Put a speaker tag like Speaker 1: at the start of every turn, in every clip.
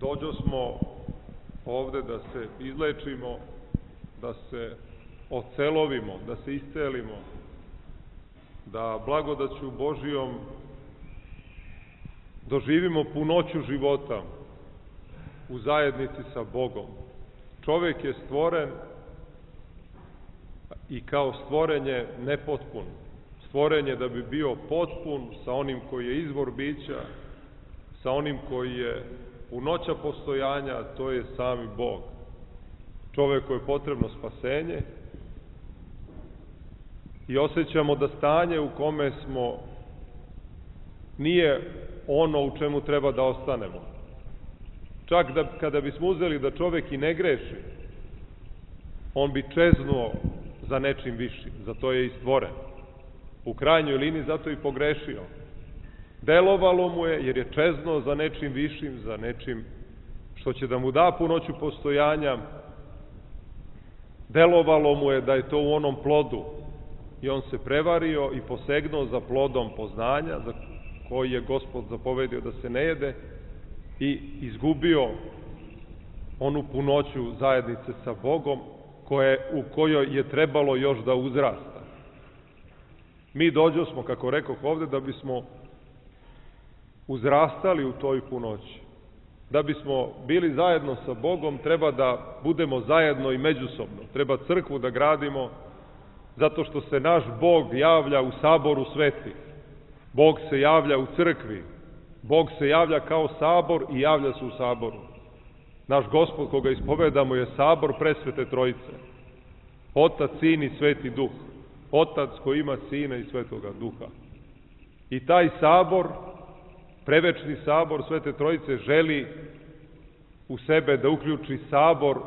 Speaker 1: Dođosmo ovde da se izlečimo, da se ocelovimo, da se iscelimo, da blagodaću Božijom doživimo punoću života u zajednici sa Bogom. Čovek je stvoren i kao stvorenje nepotpun. Stvoren je da bi bio potpun sa onim koji je izvor bića, sa onim koji je punoća postojanja, to je sami Bog. Čoveku je potrebno spasenje i osjećamo da stanje u kome smo nije ono u čemu treba da ostanemo. Čak da kada bismo uzeli da čovek i ne greši, on bi čeznuo za nečim višim, zato je i stvoren. U krajnjoj liniji zato i pogrešio. Delovalo mu je jer je čeznuo za nečim višim, za nečim što će da mu da punoću postojanja. Delovalo mu je da je to u onom plodu i on se prevario i posegnuo za plodom poznanja, za koji je Gospod zapovedio da se ne jede, i izgubio onu punoću zajednice sa Bogom u kojoj je trebalo još da uzrasta. Mi dođosmo, kako rekoh ovde, da bismo uzrastali u toj punoći. Da bismo bili zajedno sa Bogom, treba da budemo zajedno i međusobno. Treba crkvu da gradimo, zato što se naš Bog javlja u saboru svetih. Bog se javlja u crkvi. Bog se javlja kao sabor i javlja se u saboru. Naš Gospod, koga ispovedamo, je sabor presvete Trojice. Otac, Sin i Sveti Duh. Otac koji ima Sina i Svetoga Duha. I taj sabor, prevečni sabor Svete Trojice, želi u sebe da uključi sabor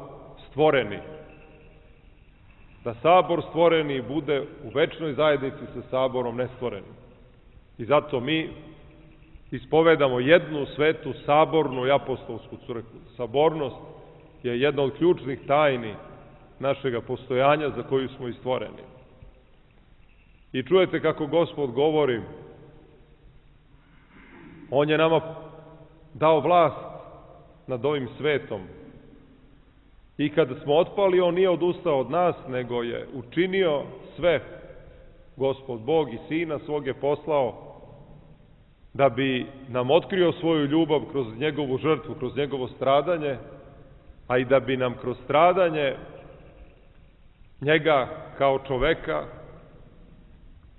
Speaker 1: stvoreni. Da sabor stvoreni bude u večnoj zajednici sa saborom nestvorenim. I zato mi ispovedamo jednu svetu sabornu i apostolsku crkvu. Sabornost je jedna od ključnih tajni našega postojanja za koju smo i stvoreni. I čujete kako Gospod govori, On je nama dao vlast nad ovim svetom. I kada smo otpali, On nije odustao od nas, nego je učinio sve. Gospod Bog i Sina svog je poslao da bi nam otkrio svoju ljubav kroz njegovu žrtvu, kroz njegovo stradanje, a i da bi nam kroz stradanje njega kao čoveka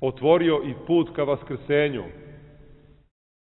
Speaker 1: otvorio i put ka vaskrsenju,